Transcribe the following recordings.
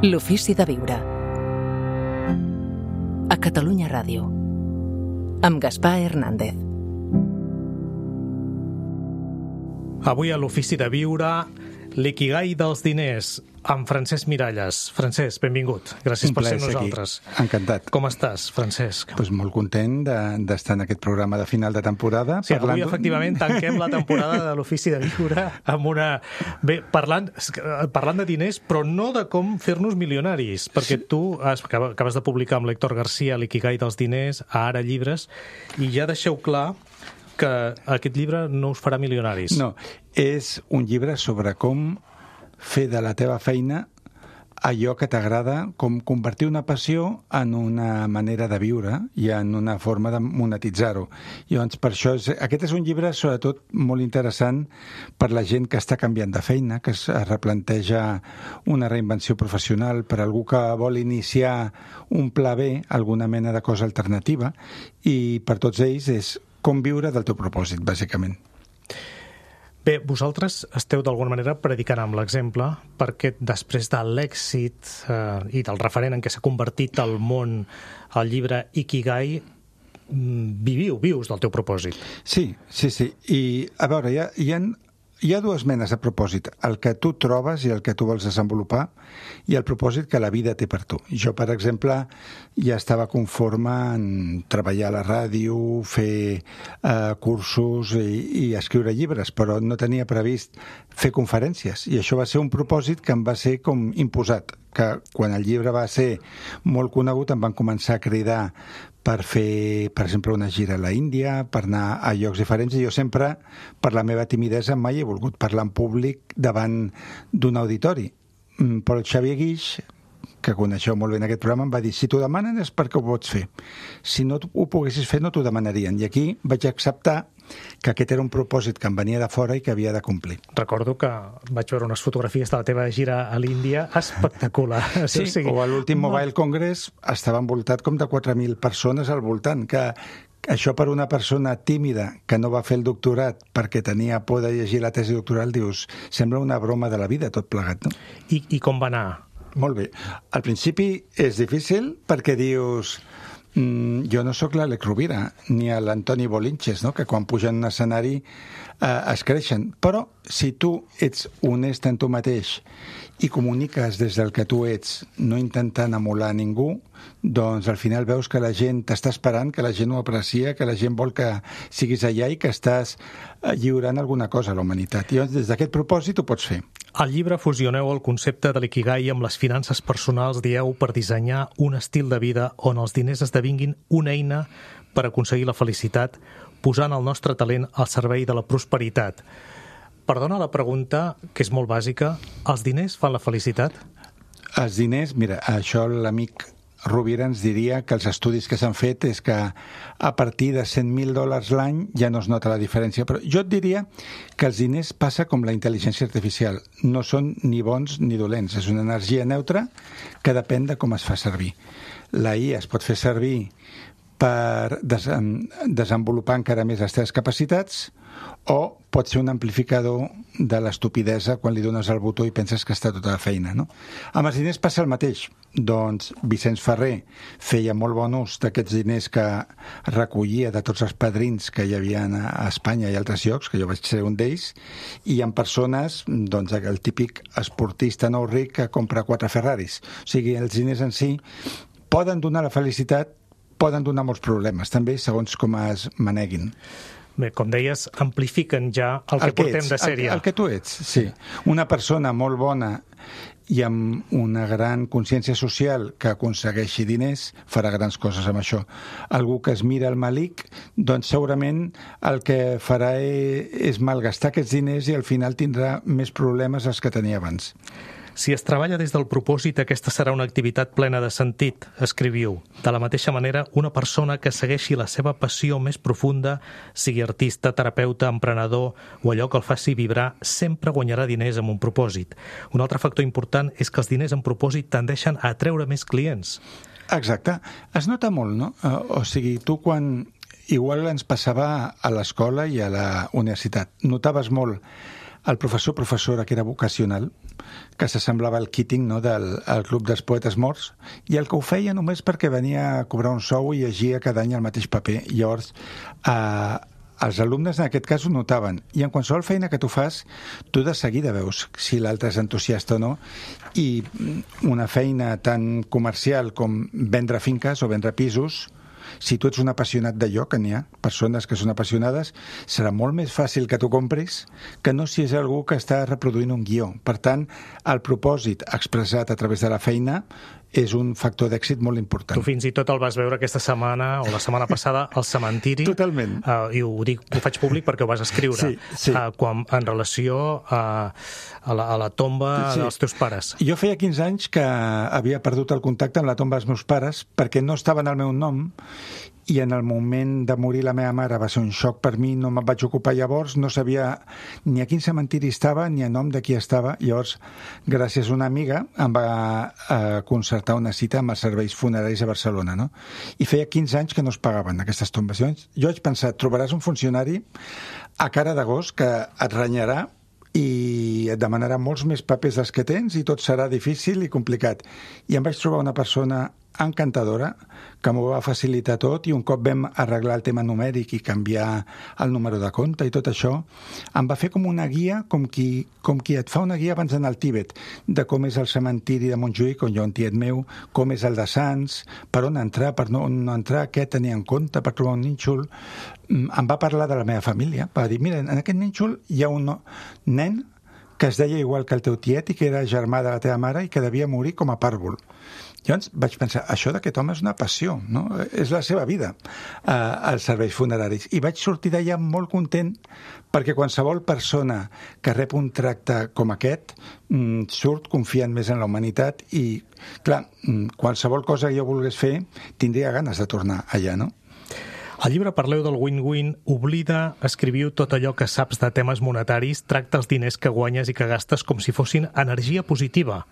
L'ofici de viure. A Catalunya Ràdio. Amb Gaspar Hernández. Avui a l'ofici de viure, l'ikigai dels diners, amb Francesc Miralles. Francesc, benvingut. Gràcies per ser amb nosaltres. Aquí. Encantat. Com estàs, Francesc? Pues molt content d'estar en aquest programa de final de temporada. Sí, avui efectivament tanquem la temporada de l'ofici de viure amb una... Bé, parlant de diners, però no de com fer-nos milionaris, perquè tu acabes de publicar amb l'Héctor García l'ikigai dels diners, a Ara Llibres, i ja deixeu clar que aquest llibre no us farà milionaris. No, és un llibre sobre com fer de la teva feina allò que t'agrada, com convertir una passió en una manera de viure i en una forma de monetitzar-ho. I llavors, per això, aquest és un llibre sobretot molt interessant per la gent que està canviant de feina, que es replanteja una reinvenció professional, per algú que vol iniciar un pla B, alguna mena de cosa alternativa, i per tots ells és com viure del teu propòsit, bàsicament. Bé, vosaltres esteu d'alguna manera predicant amb l'exemple, perquè després de l'èxit i del referent en què s'ha convertit el món al llibre Ikigai, vius del teu propòsit. Sí. I, a veure, hi ha dues menes de propòsit, el que tu trobes i el que tu vols desenvolupar i el propòsit que la vida té per tu. Jo, per exemple, ja estava conforme en treballar a la ràdio, fer cursos i escriure llibres, però no tenia previst fer conferències, i això va ser un propòsit que em va ser com imposat, que quan el llibre va ser molt conegut em van començar a cridar per fer, per exemple, una gira a la Índia, per anar a llocs diferents, i jo sempre, per la meva timidesa, mai he volgut parlar en públic davant d'un auditori. Però el Xavier Guix, que coneixeu molt bé en aquest programa, em va dir, si t'ho demanen és perquè ho pots fer. Si no ho poguessis fer, no t'ho demanarien. I aquí vaig acceptar que aquest era un propòsit que em venia de fora i que havia de complir. Recordo que vaig veure unes fotografies de la teva gira a l'Índia espectacular. Sí, o a l'últim Mobile Congress estava envoltat com de 4.000 persones al voltant, que això per una persona tímida que no va fer el doctorat perquè tenia por de llegir la tesi doctoral, dius, sembla una broma de la vida tot plegat, no? I com va anar? Molt bé. Al principi és difícil perquè dius... jo no sóc l'Àlex Rovira ni l'Antoni Bolinches, no? Que quan pugen a un escenari es creixen. Però si tu ets honest en tu mateix i comuniques des del que tu ets, no intentant emular ningú, doncs al final veus que la gent t'està esperant, que la gent ho aprecia, que la gent vol que siguis allà i que estàs lliurant alguna cosa a la humanitat. I llavors, des d'aquest propòsit ho pots fer. Al llibre fusioneu el concepte de l'ikigai amb les finances personals, dieu, per dissenyar un estil de vida on els diners esdevinguin una eina per aconseguir la felicitat, posant el nostre talent al servei de la prosperitat. Perdona la pregunta, que és molt bàsica, els diners fan la felicitat? Els diners, mira, això l'amic Rovira ens diria que els estudis que s'han fet és que a partir de $100.000 l'any ja no es nota la diferència, però jo et diria que els diners passa com la intel·ligència artificial, no són ni bons ni dolents, és una energia neutra que depèn de com es fa servir. La IA es pot fer servir per desenvolupar encara més les teves capacitats, o pot ser un amplificador de l'estupidesa quan li dones el botó i penses que està tota la feina, no? Amb els diners passa el mateix. Doncs Vicenç Ferrer feia molt bon ús d'aquests diners que recollia de tots els padrins que hi havia a Espanya i altres llocs, que jo vaig ser un d'ells, i en persones, doncs el típic esportista nou ric que compra 4 Ferraris. O sigui, els diners en si poden donar la felicitat, poden donar molts problemes, també, segons com es maneguin. Bé, com deies, amplifiquen ja el que portem de sèrie. El que tu ets, sí. Una persona molt bona i amb una gran consciència social que aconsegueixi diners farà grans coses amb això. Algú que es mira el malic, doncs segurament el que farà és malgastar aquests diners i al final tindrà més problemes dels que tenia abans. Si es treballa des del propòsit, aquesta serà una activitat plena de sentit, escriviu. De la mateixa manera, una persona que segueixi la seva passió més profunda, sigui artista, terapeuta, emprenedor o allò que el faci vibrar, sempre guanyarà diners amb un propòsit. Un altre factor important és que els diners amb propòsit tendeixen a atreure més clients. Exacte. Es nota molt, no? O sigui, tu quan... Igual ens passava a l'escola i a la universitat. Notaves molt el professora que era vocacional, que s'assemblava al Keating, no?, del Club dels Poetes Morts, i el que ho feia només perquè venia a cobrar un sou i llegia cada any el mateix paper. Llavors, els alumnes en aquest cas ho notaven, i en qualsevol feina que tu fas, tu de seguida veus si l'altre és entusiasta o no, i una feina tan comercial com vendre finques o vendre pisos, si tu ets un apassionat d'allò, que n'hi ha persones que són apassionades, serà molt més fàcil que tu compris que no si és algú que està reproduint un guió. Per tant, el propòsit expressat a través de la feina és un factor d'èxit molt important. Tu fins i tot el vas veure aquesta setmana o la setmana passada al cementiri. Totalment. I ho faig públic perquè ho vas escriure. Sí. En relació a la tomba dels teus pares. Jo feia 15 anys que havia perdut el contacte amb la tomba dels meus pares perquè no estaven al meu nom, i en el moment de morir la meva mare va ser un xoc per mi, no me'n vaig ocupar llavors, no sabia ni a quin cementiri estava ni a nom de qui estava. Llavors, gràcies a una amiga, em va concertar una cita amb els serveis funeraris a Barcelona, no? I feia 15 anys que no es pagaven aquestes tombes. Jo vaig pensar, trobaràs un funcionari a cara de gos que et renyarà i et demanarà molts més papers dels que tens i tot serà difícil i complicat. I em vaig trobar una persona encantadora que m'ho va facilitar tot, i un cop vam arreglar el tema numèric i canviar el número de compte i tot això, em va fer com una guia, com qui et fa una guia abans d'anar al Tíbet, de com és el cementiri de Montjuïc, on hi ha un tiet meu, com és el de Sants, per on entrar, per no entrar, què tenir en compte per trobar un nínxol. Em va parlar de la meva família, va dir, mira, en aquest nínxol hi ha un nen que es deia igual que el teu tiet i que era germà de la teva mare i que devia morir com a pàrvul. Llavors vaig pensar, això d'aquest home és una passió, no? És la seva vida, als serveis funeraris. I vaig sortir d'allà molt content, perquè qualsevol persona que rep un tracte com aquest surt confiant més en la humanitat i, clar, qualsevol cosa que jo volgués fer tindria ganes de tornar allà, no? Al llibre parleu del win-win, oblida, escriviu tot allò que saps de temes monetaris, tracta els diners que guanyes i que gastes com si fossin energia positiva.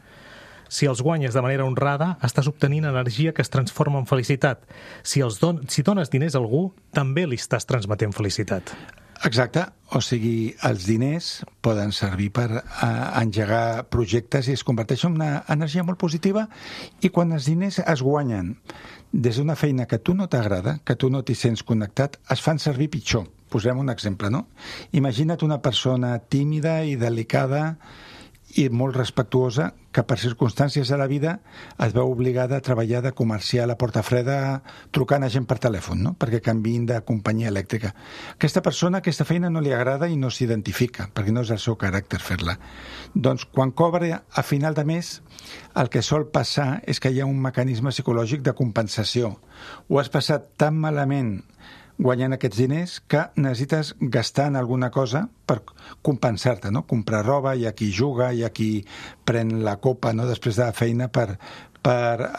Si els guanyes de manera honrada, estàs obtenint energia que es transforma en felicitat. Si dones diners a algú, també li estàs transmetent felicitat. Exacte, o sigui, els diners poden servir per engegar projectes i es converteixen en una energia molt positiva, i quan els diners es guanyen des d'una feina que a tu no t'agrada, que tu no t'hi sents connectat, es fan servir pitjor. Posem un exemple, no? Imagina't una persona tímida i delicada i molt respectuosa que per circumstàncies de la vida es veu obligada a treballar de comercial a porta freda trucant a gent per telèfon, no?, perquè canviïn de companyia elèctrica. Aquesta persona, aquesta feina no li agrada i no s'identifica, perquè no és el seu caràcter fer-la. Doncs quan cobra a final de mes, el que sol passar és que hi ha un mecanisme psicològic de compensació. Ho has passat tan malament guanyant aquests diners que necessites gastar en alguna cosa per compensar-te, no? Comprar roba, hi ha qui juga, hi ha qui pren la copa, no?, després de la feina per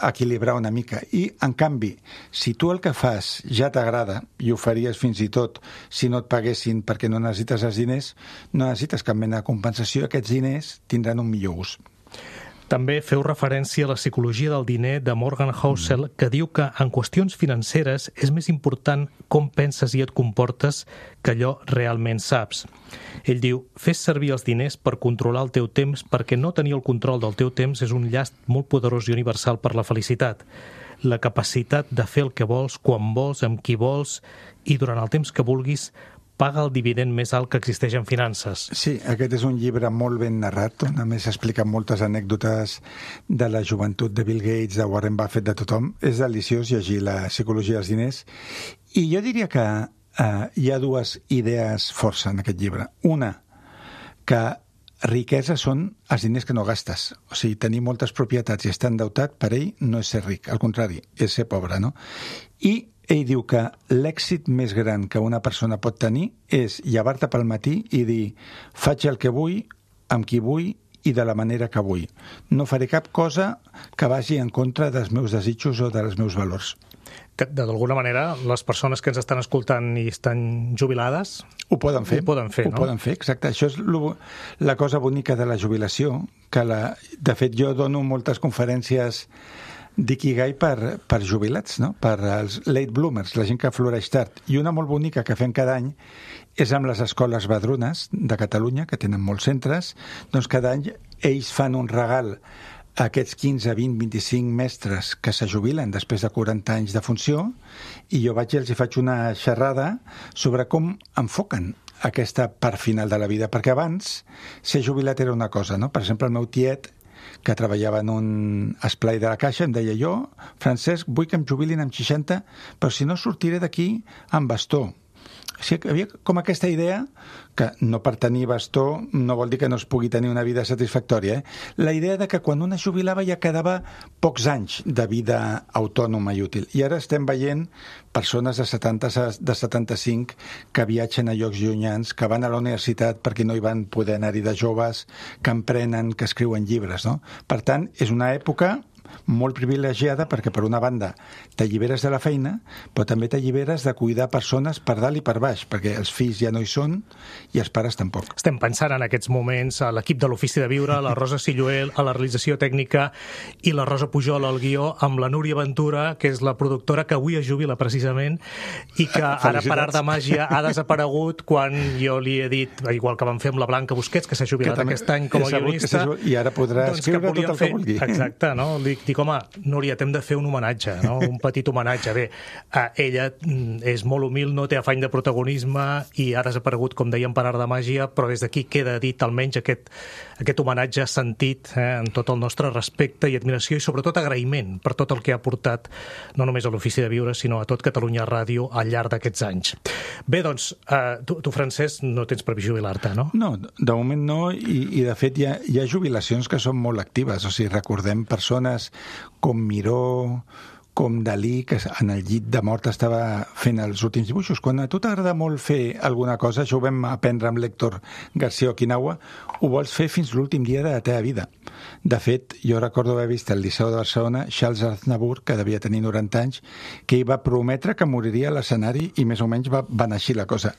equilibrar una mica. I, en canvi, si tu el que fas ja t'agrada, i ho faries fins i tot si no et paguessin perquè no necessites els diners, no necessites cap mena de compensació, aquests diners tindran un millor ús. També feu referència a la psicologia del diner de Morgan Housel, que diu que en qüestions financeres és més important com penses i et comportes que allò realment saps. Ell diu, fes servir els diners per controlar el teu temps, perquè no tenir el control del teu temps és un llast molt poderós i universal per la felicitat. La capacitat de fer el que vols, quan vols, amb qui vols i durant el temps que vulguis, paga el dividend més alt que existeix en finances. Sí, aquest és un llibre molt ben narrat, on a més explica moltes anècdotes de la joventut de Bill Gates, de Warren Buffett, de tothom. És deliciós llegir la psicologia dels diners. I jo diria que hi ha dues idees força en aquest llibre. Una, que riquesa són els diners que no gastes. O sigui, tenir moltes propietats i estar endeutat, per ell no és ser ric. Al contrari, és ser pobre, no? I ell diu que l'èxit més gran que una persona pot tenir és llevar-te pel matí i dir, faig el que vull, amb qui vull i de la manera que vull. No faré cap cosa que vagi en contra dels meus desitjos o dels meus valors. D'alguna manera, les persones que ens estan escoltant i estan jubilades ho poden fer. Ho poden fer, no? Ho poden fer, exacte. Això és la cosa bonica de la jubilació, que de fet jo dono moltes conferències d'ikigai per jubilats, no? Per als late bloomers, la gent que floreix tard. I una molt bonica que fem cada any és amb les escoles Badrunes de Catalunya, que tenen molts centres. Doncs cada any ells fan un regal a aquests 15, 20, 25 mestres que se jubilen després de 40 anys de funció, i jo vaig i els faig una xerrada sobre com enfoquen aquesta part final de la vida, perquè abans ser jubilat era una cosa, no? Per exemple, el meu tiet, que treballava en un esplai de la Caixa, em deia: jo, Francesc, vull que em jubilin amb 60, però si no sortiré d'aquí amb bastó. O sigui, havia com aquesta idea que no per tenir bastó no vol dir que no es pugui tenir una vida satisfactòria. La idea de que quan un es jubilava ja quedava pocs anys de vida autònoma i útil. I ara estem veient persones de 70, de 75 que viatgen a llocs llunyans, que van a la universitat perquè no hi van poder anar-hi de joves, que emprenen, que escriuen llibres, no? Per tant, és una època molt privilegiada perquè, per una banda, t'alliberes de la feina, però també t'alliberes de cuidar persones per dalt i per baix, perquè els fills ja no hi són i els pares tampoc. Estem pensant en aquests moments a l'equip de l'Ofici de Viure, la Rosa Silluel a la realització tècnica i la Rosa Pujol al guió, amb la Núria Ventura, que és la productora que avui es jubila precisament i que ara, per art de màgia, ha desaparegut quan jo li he dit, igual que vam fer amb la Blanca Busquets, que s'ha jubilat aquest any com a guionista, i ara podrà escriure tot el que vulgui. Exacte, no? Dic, home, Núria, t'hem de fer un homenatge, no? Un petit homenatge. Bé, ella és molt humil, no té afany de protagonisme i ha desaparegut, com dèiem, per art de màgia, però des d'aquí queda dit almenys aquest homenatge sentit, en tot el nostre respecte i admiració i sobretot agraïment per tot el que ha portat no només a l'Ofici de Viure, sinó a tot Catalunya Ràdio al llarg d'aquests anys. Bé, doncs, tu, Francesc, no tens previst jubilar-te, no? No, de moment no, i de fet hi ha jubilacions que són molt actives. O sigui, recordem persones com Miró, com Dalí, que en el llit de mort estava fent els últims dibuixos. Quan a tu t'agrada molt fer alguna cosa, això ho vam aprendre amb l'Héctor García Okinawa, ho vols fer fins l'últim dia de la teva vida. De fet, jo recordo haver vist al Liceu de Barcelona Charles Aznavour, que devia tenir 90 anys, que ell va prometre que moriria a l'escenari i més o menys va anar així la cosa.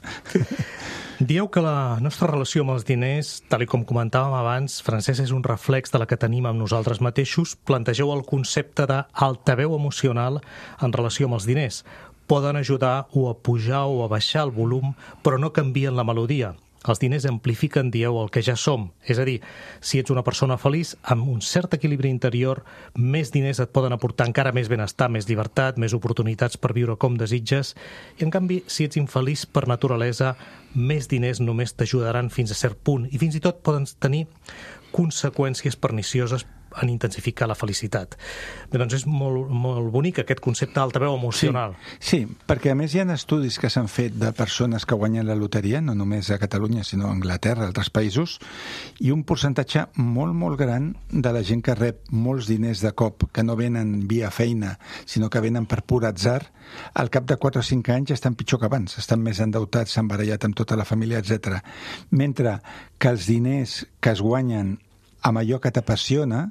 Dieu que la nostra relació amb els diners, tal com comentàvem abans, Francesc, és un reflex de la que tenim amb nosaltres mateixos. Plantegeu el concepte d'altaveu emocional en relació amb els diners. Poden ajudar o a pujar o a baixar el volum, però no canvien la melodia. Els diners amplifiquen, dieu, el que ja som. És a dir, si ets una persona feliç, amb un cert equilibri interior, més diners et poden aportar encara més benestar, més llibertat, més oportunitats per viure com desitges. I, en canvi, si ets infeliç per naturalesa, més diners només t'ajudaran fins a cert punt i fins i tot poden tenir conseqüències pernicioses en intensificar la felicitat. Bé, doncs és molt bonic aquest concepte d'altaveu emocional. Sí, perquè a més hi ha estudis que s'han fet de persones que guanyen la loteria, no només a Catalunya, sinó a Anglaterra, a altres països, i un percentatge molt, molt gran de la gent que rep molts diners de cop, que no venen via feina, sinó que venen per pur atzar, al cap de 4 o 5 anys estan pitjor que abans, estan més endeutats, s'han barallat amb tota la família, etc. Mentre que els diners que es guanyen amb allò que t'apassiona,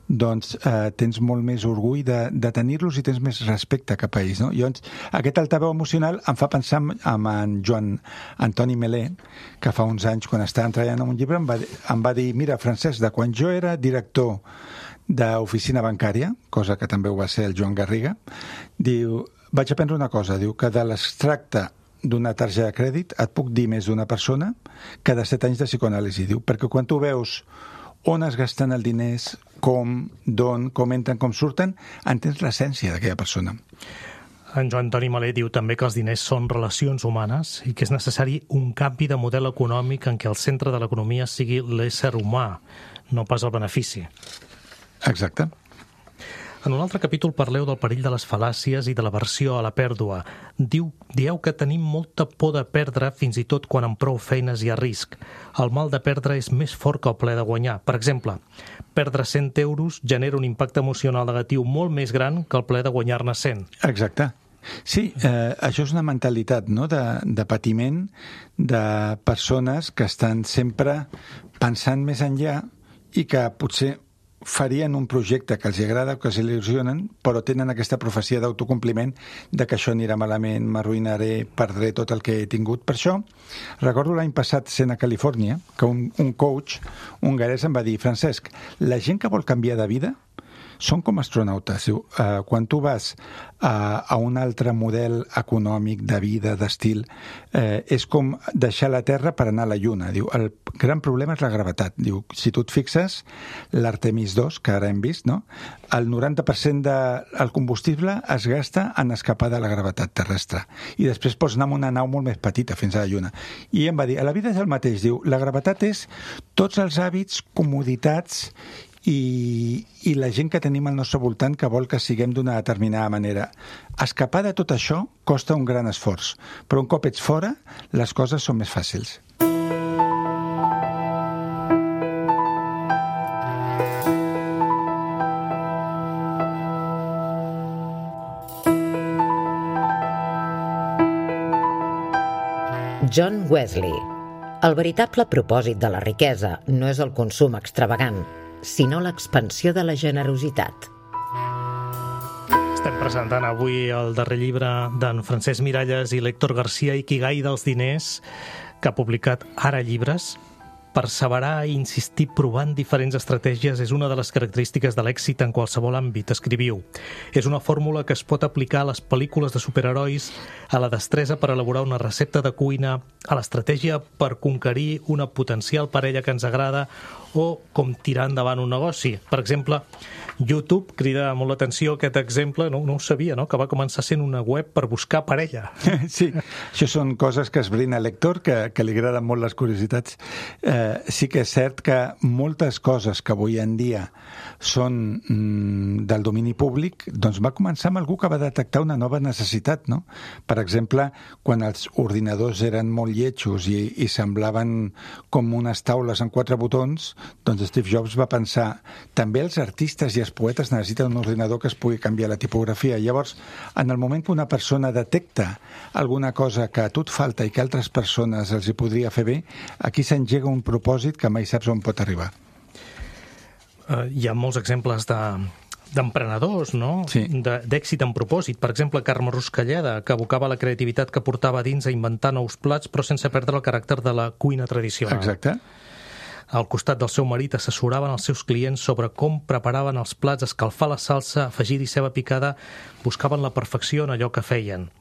doncs tens molt més orgull de tenir-los i tens més respecte cap a ells, no? Llavors, aquest altaveu emocional em fa pensar en Joan Antoni Melé, que fa uns anys, quan estàvem treballant en un llibre, em va dir: mira, Francesc, de quan jo era director d'oficina bancària, cosa que també ho va ser el Joan Garriga, diu, vaig aprendre una cosa, diu, que de l'extracte d'una targeta de crèdit et puc dir més d'una persona que de 7 anys de psicoanàlisi, diu, perquè quan tu veus on es gasten els diners, com, d'on, com entren, com surten, entens l'essència d'aquella persona. En Joan Antoni Malé diu també que els diners són relacions humanes i que és necessari un canvi de model econòmic en què el centre de l'economia sigui l'ésser humà, no pas el benefici. Exacte. En un altre capítol parleu del perill de les fal·làcies i de l'aversió a la pèrdua. Dieu que tenim molta por de perdre fins i tot quan amb prou feines hi ha risc. El mal de perdre és més fort que el plaer de guanyar. Per exemple, perdre 100 euros genera un impacte emocional negatiu molt més gran que el plaer de guanyar-ne 100. Exacte. Sí, això és una mentalitat, no?, de patiment de persones que estan sempre pensant més enllà i que potser farien un projecte que els agrada o que els il·lusionen, però tenen aquesta profecia d'autocompliment de que això anirà malament, m'arruïnaré, perdré tot el que he tingut. Per això, recordo l'any passat sent a Califòrnia, que un coach hongarès em va dir: Francesc, la gent que vol canviar de vida són com astronautes. Diu, quan tu vas a un altre model econòmic, de vida, d'estil, és com deixar la Terra per anar a la Lluna. Diu, el gran problema és la gravetat. Diu, si tu et fixes, l'Artemis 2, que ara hem vist, no? El 90% del combustible es gasta en escapar de la gravetat terrestre. I després pots anar amb una nau molt més petita fins a la Lluna. I em va dir, a la vida és el mateix. Diu, la gravetat és tots els hàbits, comoditats i la gent que tenim al nostre voltant que vol que siguem d'una determinada manera. Escapar de tot això costa un gran esforç, però un cop ets fora, les coses són més fàcils. John Wesley. El veritable propòsit de la riquesa no és el consum extravagant, sinó l'expansió de la generositat. Estem presentant avui el darrer llibre d'en Francesc Miralles i l'Héctor García, Ikigai dels diners, que ha publicat Ara Llibres. Perseverar i insistir provant diferents estratègies és una de les característiques de l'èxit en qualsevol àmbit, escriviu. És una fórmula que es pot aplicar a les pel·lícules de superherois, a la destresa per elaborar una recepta de cuina, a l'estratègia per conquerir una potencial parella que ens agrada o com tirar endavant un negoci. Per exemple, YouTube crida molt l'atenció aquest exemple, no ho sabia, no? Que va començar sent una web per buscar parella. Sí, això són coses que esbrina l'Héctor, que li agraden molt les curiositats. Sí que és cert que moltes coses que avui en dia són del domini públic, doncs va començar amb algú que va detectar una nova necessitat, no? Per exemple, quan els ordinadors eren molt lletjos i semblaven com unes taules amb 4 botons, doncs Steve Jobs va pensar, també els artistes i els poetes necessiten un ordinador que es pugui canviar la tipografia. Llavors, en el moment que una persona detecta alguna cosa que a tu et falta i que altres persones els hi podria fer bé, aquí s'engega un propòsit que mai saps on pot arribar. Hi ha molts exemples d'emprenedors, no? Sí. D'èxit en propòsit. Per exemple, Carme Ruscalleda, que abocava la creativitat que portava dins a inventar nous plats, però sense perdre el caràcter de la cuina tradicional. Exacte. Al costat del seu marit assessoraven els seus clients sobre com preparaven els plats, escalfar la salsa, afegir-hi ceba picada, buscaven la perfecció en allò que feien.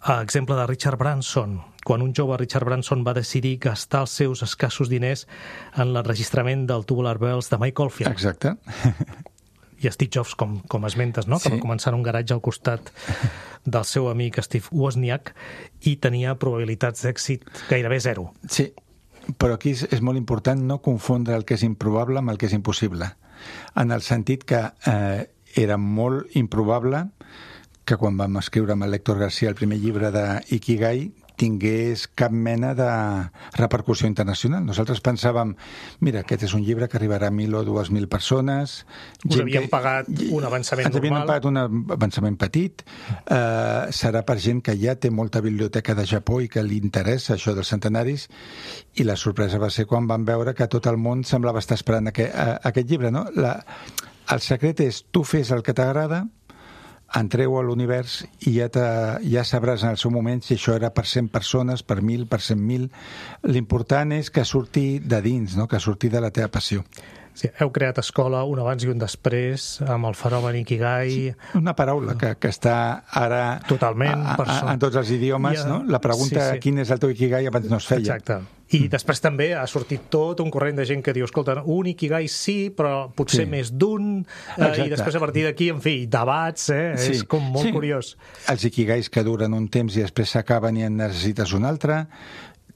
Exemple de Richard Branson, quan un jove Richard Branson va decidir gastar els seus escassos diners en l'enregistrament del Tubular Bells de Mike Oldfield. Exacte. I Steve Jobs, com esmentes, no? Que va començar en un garatge al costat del seu amic Steve Wozniak i tenia probabilitats d'èxit gairebé zero. Sí, però aquí és molt important no confondre el que és improbable amb el que és impossible. En el sentit que era molt improbable que quan vam escriure amb l'Héctor García el primer llibre d'Ikigai tingués cap mena de repercussió internacional. Nosaltres pensàvem, mira, aquest és un llibre que arribarà a 1.000 o 2.000 persones. Us havien pagat un avançament normal. Ens havien pagat un avançament petit. Serà per gent que ja té molta biblioteca de Japó i que li interessa això dels centenaris. I la sorpresa va ser quan van veure que tot el món semblava estar esperant aquest llibre, no? El secret és, tu fes el que t'agrada, entreu a l'univers i ja sabràs en el seu moment si això era per 100 persones, per 1.000, per 100.000. L'important és que surti de dins, no? Que surti de la teva passió. Sí, heu creat escola, un abans i un després, amb el fenomen Ikigai. Sí, una paraula que està ara totalment en tots els idiomes, no? La pregunta, sí. Quin és el teu Ikigai, abans no es feia. Exacte. I després també ha sortit tot un corrent de gent que diu, escolta, un Ikigai sí, però potser més d'un, i després a partir d'aquí, en fi, debats, és com molt curiós. Els Ikigais que duren un temps i després s'acaben i en necessites un altre.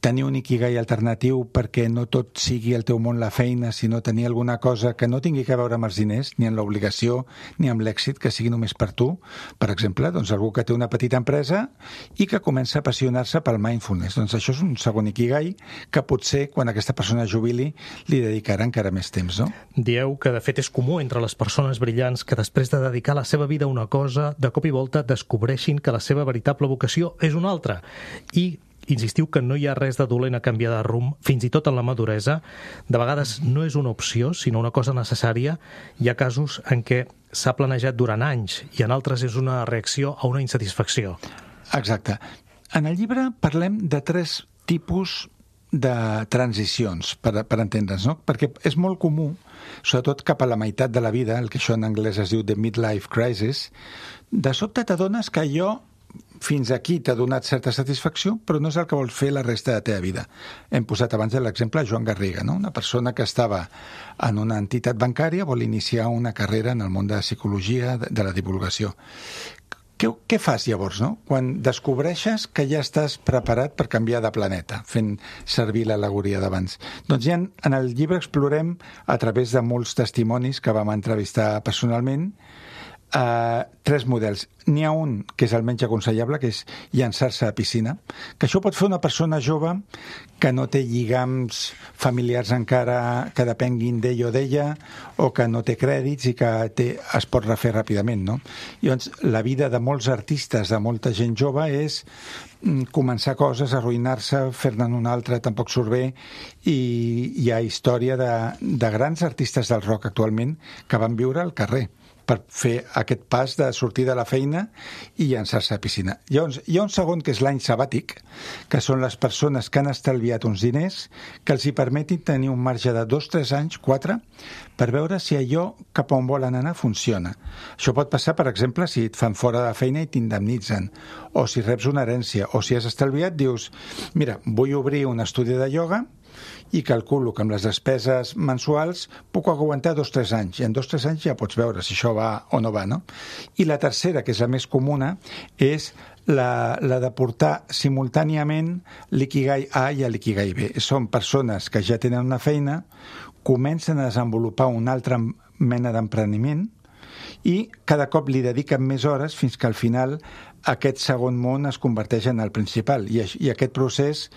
Tenir un Ikigai alternatiu perquè no tot sigui el teu món la feina, sinó tenir alguna cosa que no tingui que veure amb els diners, ni amb l'obligació, ni amb l'èxit, que sigui només per tu. Per exemple, doncs algú que té una petita empresa i que comença a apassionar-se pel mindfulness. Doncs això és un segon Ikigai que potser, quan aquesta persona jubili, li dedicarà encara més temps, no? Dieu que, de fet, és comú entre les persones brillants que després de dedicar la seva vida a una cosa, de cop i volta descobreixin que la seva veritable vocació és una altra. I insistiu que no hi ha res de dolent a canviar de rumb, fins i tot en la maduresa. De vegades no és una opció, sinó una cosa necessària. Hi ha casos en què s'ha planejat durant anys i en altres és una reacció a una insatisfacció. Exacte. En el llibre parlem de 3 tipus de transicions, per entendre's, no? Perquè és molt comú sobretot cap a la meitat de la vida, el que això en anglès es diu the midlife crisis, de sobte t'adones que allò fins aquí t'ha donat certa satisfacció, però no és el que vols fer la resta de la teva vida. Hem posat abans l'exemple Joan Garriga, no? Una persona que estava en una entitat bancària vol iniciar una carrera en el món de la psicologia, de la divulgació. Què fas llavors, no? Quan descobreixes que ja estàs preparat per canviar de planeta, fent servir l'al·legoria d'abans. Doncs ja en el llibre explorem, a través de molts testimonis que vam entrevistar personalment, 3 models. N'hi ha un que és el menys aconsellable, que és llançar-se a piscina, que això pot fer una persona jove que no té lligams familiars encara que depenguin d'ell o d'ella, o que no té crèdits i que es pot refer ràpidament, no? Llavors, la vida de molts artistes, de molta gent jove, és començar coses, arruïnar-se, fer-ne una altra, tampoc surt bé, i hi ha història de grans artistes del rock actualment que van viure al carrer per fer aquest pas de sortir de la feina i llançar-se a piscina. Llavors, hi ha un segon que és l'any sabàtic, que són les persones que han estalviat uns diners que els hi permetin tenir un marge de 2, 3 anys, 4, per veure si allò cap on volen anar funciona. Això pot passar, per exemple, si et fan fora de la feina i t'indemnitzen, o si reps una herència, o si has estalviat, dius, mira, vull obrir un estudi de ioga i calculo que amb les despeses mensuals puc aguantar 2 o 3 anys, i en 2 o 3 anys ja pots veure si això va o no va, no? I la tercera, que és la més comuna, és la de portar simultàniament l'ikigai A i l'ikigai B. Són persones que ja tenen una feina, comencen a desenvolupar una altra mena d'empreniment i cada cop li dediquen més hores fins que al final aquest segon món es converteix en el principal, i aquest procés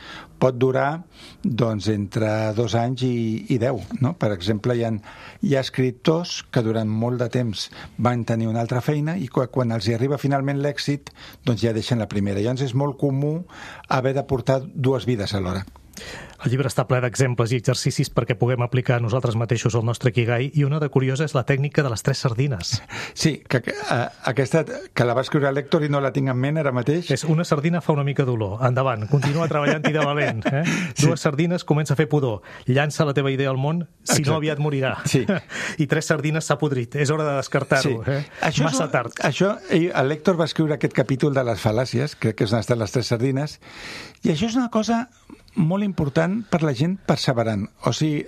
pot durar doncs, entre 2 anys i 10, no? Per exemple, hi ha escriptors que durant molt de temps van tenir una altra feina i quan els hi arriba finalment l'èxit, doncs ja deixen la primera. Llavors és molt comú haver de portar 2 vides alhora. El llibre està ple d'exemples i exercicis perquè puguem aplicar nosaltres mateixos el nostre Ikigai, i una de curiosa és la tècnica de les 3 sardines. Sí, que aquesta que la va escriure l'Héctor i no la tinc en ment ara mateix. És una sardina fa una mica d'olor. Endavant, continua treballant-hi de valent. Sí. 2 sardines, comença a fer pudor. Llança la teva idea al món, si no aviat morirà. Sí. I 3 sardines s'ha podrit. És hora de descartar-ho. Sí. Massa tard. L'Héctor va escriure aquest capítol de les fal·làcies, crec que és on estan les 3 sardines, i això és una cosa molt important per la gent perseverant. O sigui,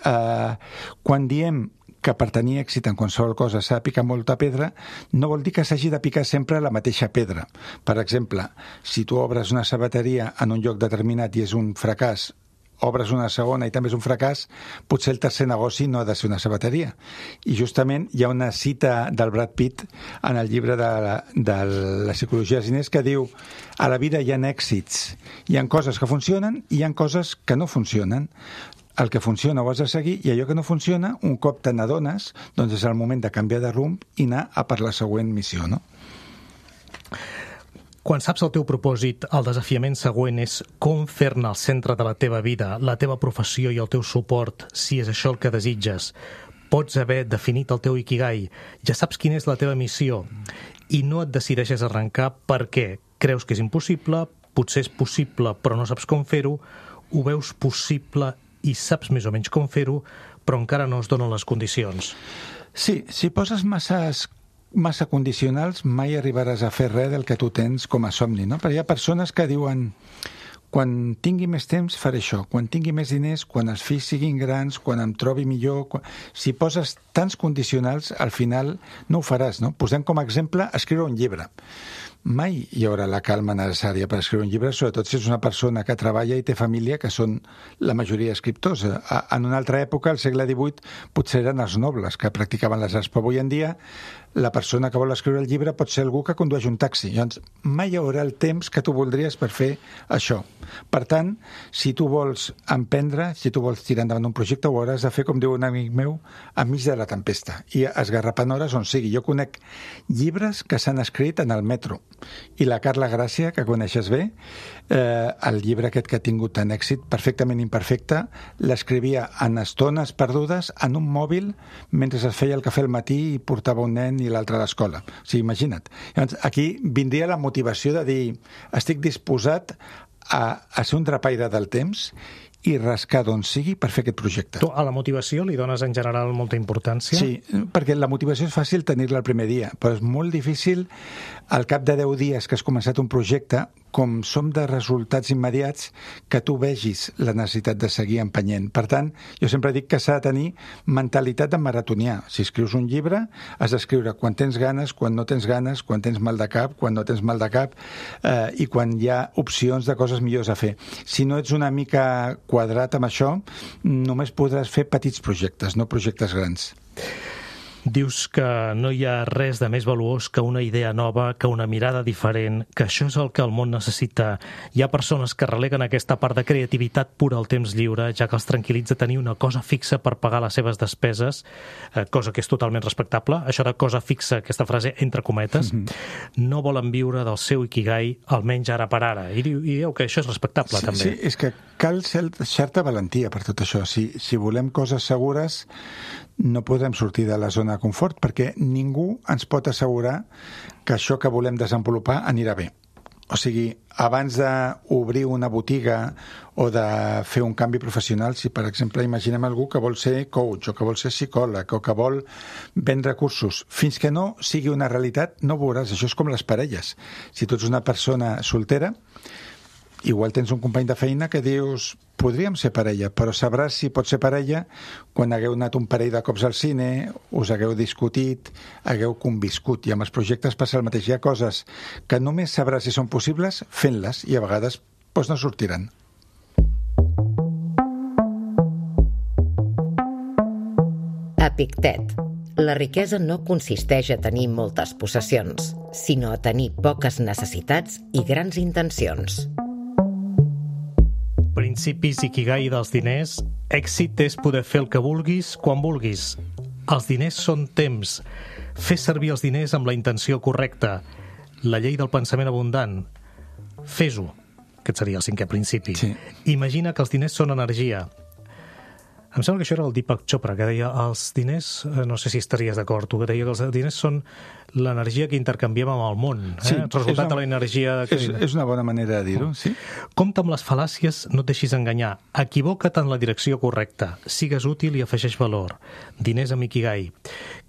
quan diem que per tenir èxit en qualsevol cosa s'ha de picar molta pedra, no vol dir que s'hagi de picar sempre la mateixa pedra. Per exemple, si tu obres una sabateria en un lloc determinat i és un fracàs, obres una segona i també és un fracàs, potser el tercer negoci no ha de ser una sabateria. I justament hi ha una cita del Brad Pitt en el llibre de la psicologia dels diners que diu: a la vida hi ha èxits, hi ha coses que funcionen i hi ha coses que no funcionen. El que funciona ho has de seguir, i allò que no funciona, un cop te n'adones, doncs és el moment de canviar de rumb i anar a per la següent missió, no? Quan saps el teu propòsit, el desafiament següent és com fer-ne el centre de la teva vida, la teva professió i el teu suport, si és això el que desitges. Pots haver definit el teu Ikigai, ja saps quina és la teva missió, i no et decideixes arrencar perquè creus que és impossible, potser és possible però no saps com fer-ho, ho veus possible i saps més o menys com fer-ho, però encara no es donen les condicions. Sí, si poses massa condicionals, mai arribaràs a fer res del que tu tens com a somni, no? Perquè hi ha persones que diuen: quan tingui més temps faré això, quan tingui més diners, quan els fills siguin grans, quan em trobi millor... Si poses tants condicionals, al final no ho faràs, no? Posem com a exemple escriure un llibre. Mai hi haurà la calma necessària per escriure un llibre, sobretot si és una persona que treballa i té família, que són la majoria escriptors. En una altra època, al segle XVIII, potser eren els nobles que practicaven les arts, però avui en dia la persona que vol escriure el llibre pot ser algú que condueix un taxi. Llavors, mai hi haurà el temps que tu voldries per fer això. Per tant, si tu vols emprendre, si tu vols tirar endavant un projecte, ho hauràs de fer, com diu un amic meu, enmig de la tempesta, i esgarrapant hores on sigui. Jo conec llibres que s'han escrit en el metro, i la Carla Gràcia, que coneixes bé, el llibre aquest que ha tingut tant èxit, perfectament imperfecte, l'escrivia en estones perdudes en un mòbil mentre es feia el cafè al matí i portava un nen i l'altre a l'escola. O sigui, imagina't. Llavors, aquí vindria la motivació de dir: estic disposat a ser un drapaire del temps i rascar d'on sigui per fer aquest projecte. Tu a la motivació li dones en general molta importància? Sí, perquè la motivació és fàcil tenir-la el primer dia, però és molt difícil al cap de 10 dies que has començat un projecte, com som de resultats immediats, que tu vegis la necessitat de seguir empenyent. Per tant, jo sempre dic que s'ha de tenir mentalitat de maratonià. Si escrius un llibre, has d'escriure quan tens ganes, quan no tens ganes, quan tens mal de cap, quan no tens mal de cap, i quan hi ha opcions de coses millors a fer. Si no ets una mica quadrat amb això, només podràs fer petits projectes, no projectes grans. Dius que no hi ha res de més valuós que una idea nova, que una mirada diferent, que això és el que el món necessita. Hi ha persones que releguen aquesta part de creativitat pura al temps lliure, ja que els tranquil·litza tenir una cosa fixa per pagar les seves despeses, cosa que és totalment respectable. Això de cosa fixa, aquesta frase entre cometes, no volen viure del seu ikigai, almenys ara per ara. I dieu que això és respectable, també. Sí, és que cal certa valentia per tot això. Si volem coses segures, no podem sortir de la zona de confort, perquè ningú ens pot assegurar que això que volem desenvolupar anirà bé. O sigui, abans d'obrir una botiga o de fer un canvi professional, si per exemple imaginem algú que vol ser coach o que vol ser psicòleg o que vol vendre cursos, fins que no sigui una realitat no veuràs. Això és com les parelles. Si tu ets una persona soltera, igual tens un company de feina que dius podríem ser parella, però sabràs si pots ser parella quan hagueu anat un parell de cops al cine, us hagueu discutit, hagueu conviscut, i amb els projectes passa el mateix. Hi ha coses que només sabràs si són possibles fent-les, i a vegades doncs no sortiran. Epictet. La riquesa no consisteix a tenir moltes possessions, sinó a tenir poques necessitats i grans intencions. Principis ikigai dels diners. Èxit és poder fer el que vulguis quan vulguis. Els diners són temps. Fes servir els diners amb la intenció correcta. La llei del pensament abundant. Fes-ho. Aquest seria el 5è principi. Sí. Imagina que els diners són energia. Em sembla que això era el Deepak Chopra, que deia els diners, no sé si estaries d'acord, tu, que deia que els diners són l'energia que intercanviem amb el món. Sí, el resultat de l'energia... És una bona manera de dir-ho, sí. Compte amb les fal·làcies, no et deixis enganyar. Equivoca't en la direcció correcta. Sigues útil i afegeix valor. Diners amb ikigai.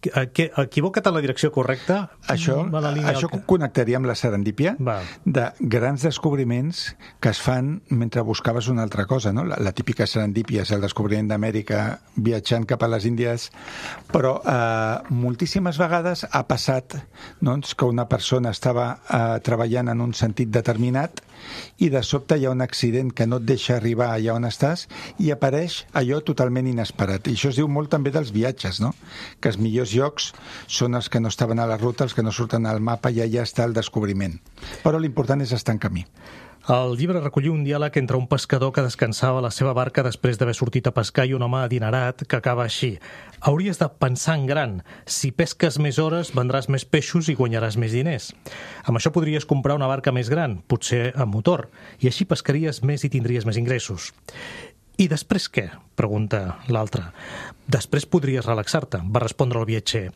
Equivoca't en la direcció correcta... Això connectaria amb la serendípia de grans descobriments que es fan mentre buscaves una altra cosa, no? La típica serendípia és el descobriment d'Amèrica viatjant cap a les Índies, però moltíssimes vegades ha passat que una persona estava treballant en un sentit determinat i de sobte hi ha un accident que no et deixa arribar allà on estàs i apareix allò totalment inesperat. I això es diu molt també dels viatges, no? Que els millors llocs són els que no estaven a la ruta, els que no surten al mapa, i allà està el descobriment. Però l'important és estar en camí. El llibre recolliu un diàleg entre un pescador que descansava a la seva barca després d'haver sortit a pescar i un home adinerat que acaba així. Hauries de pensar en gran. Si pesques més hores, vendràs més peixos i guanyaràs més diners. Amb això podries comprar una barca més gran, potser amb motor, i així pescaries més i tindries més ingressos. I després què? Pregunta l'altre. Després podries relaxar-te, va respondre el viatger.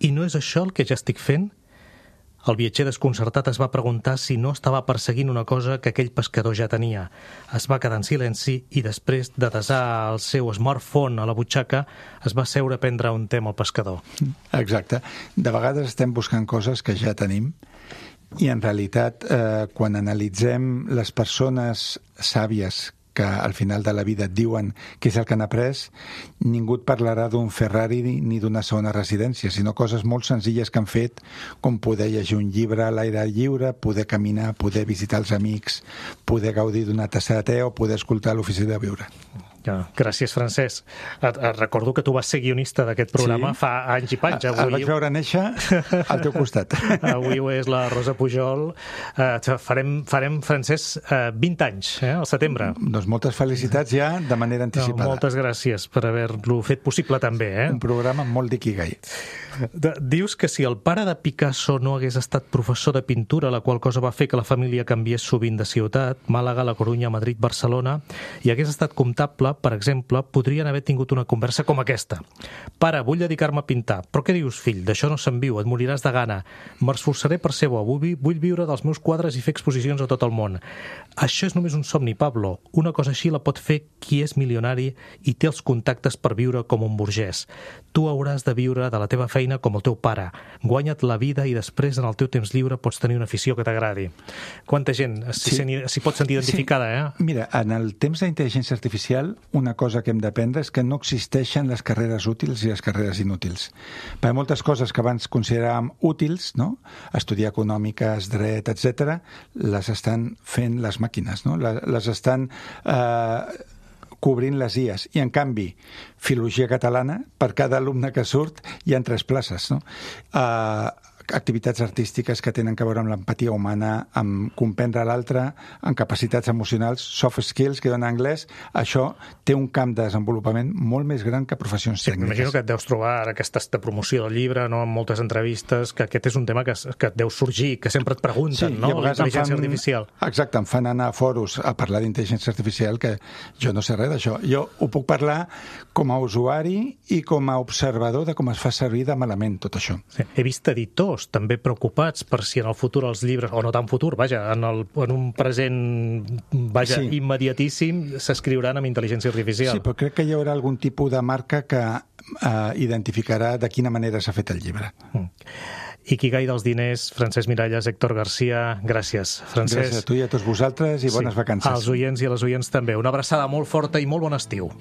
I no és això el que ja estic fent? El viatger desconcertat es va preguntar si no estava perseguint una cosa que aquell pescador ja tenia. Es va quedar en silenci i després de desar el seu smartphone a la butxaca es va seure a prendre un té amb el pescador. Exacte. De vegades estem buscant coses que ja tenim i en realitat quan analitzem les persones sàvies que al final de la vida et diuen què és el que han après, ningú et parlarà d'un Ferrari ni d'una segona residència, sinó coses molt senzilles que han fet, com poder llegir un llibre a l'aire lliure, poder caminar, poder visitar els amics, poder gaudir d'una tassa de te o poder escoltar l'ofici de viure. Gràcies, Francesc. Et recordo que tu vas ser guionista d'aquest programa fa anys i panys. El vaig veure néixer al teu costat. Avui ho és la Rosa Pujol. Farem, Francesc, 20 anys, al setembre. Doncs moltes felicitats ja de manera anticipada. Moltes gràcies per haver-lo fet possible també. Un programa molt d'ikigai. Dius que si el pare de Picasso no hagués estat professor de pintura, la qual cosa va fer que la família canviés sovint de ciutat, Màlaga, La Corunya, Madrid, Barcelona, i hagués estat comptable, exemple, podrien haver tingut una conversa com aquesta. Pare, vull dedicar-me a pintar. Però què dius, fill? D'això no se'n viu, et moriràs de gana. M'esforçaré per ser bo, vull viure dels meus quadres i fer exposicions a tot el món. Això és només un somni, Pablo. Una cosa així la pot fer qui és milionari i té els contactes per viure com un burgès. Tu hauràs de viure de la teva feina com el teu pare. Guanya't la vida i després, en el teu temps lliure, pots tenir una afició que t'agradi. Quanta gent s'hi pot sentir identificada, eh? Mira, en el temps d'intel·ligència artificial, una cosa que hem d'aprendre és que no existeixen les carreres útils i les carreres inútils. Per moltes coses que abans consideràvem útils, no? Estudiar econòmiques, dret, etc., les estan fent les màquines, no? Les estan cobrint les IAs. I, en canvi, filologia catalana, per cada alumne que surt, hi ha 3 places, no? Activitats artístiques que tenen a veure amb l'empatia humana, amb comprendre l'altre, amb capacitats emocionals, soft skills, que dona anglès, això té un camp de desenvolupament molt més gran que professions tècniques. M'imagino que et deus trobar ara aquesta promoció del llibre, no, en moltes entrevistes, que aquest és un tema que et deu sorgir, que sempre et pregunten, no? L'intel·ligència artificial. Exacte, em fan anar a foros a parlar d'intel·ligència artificial, que jo no sé res d'això. Jo ho puc parlar com a usuari i com a observador de com es fa servir de malament tot això. Sí. He vist editors també preocupats per si en el futur els llibres, o no tan futur, vaja, en un present immediatíssim, s'escriuran amb intel·ligència artificial. Sí, però crec que hi haurà algun tipus de marca que identificarà de quina manera s'ha fet el llibre. Ikigai dels diners, Francesc Miralles, Héctor García, gràcies. Francesc. Gràcies a tu i a tots vosaltres i bones vacances. Als oients i a les oients també. Una abraçada molt forta i molt bon estiu.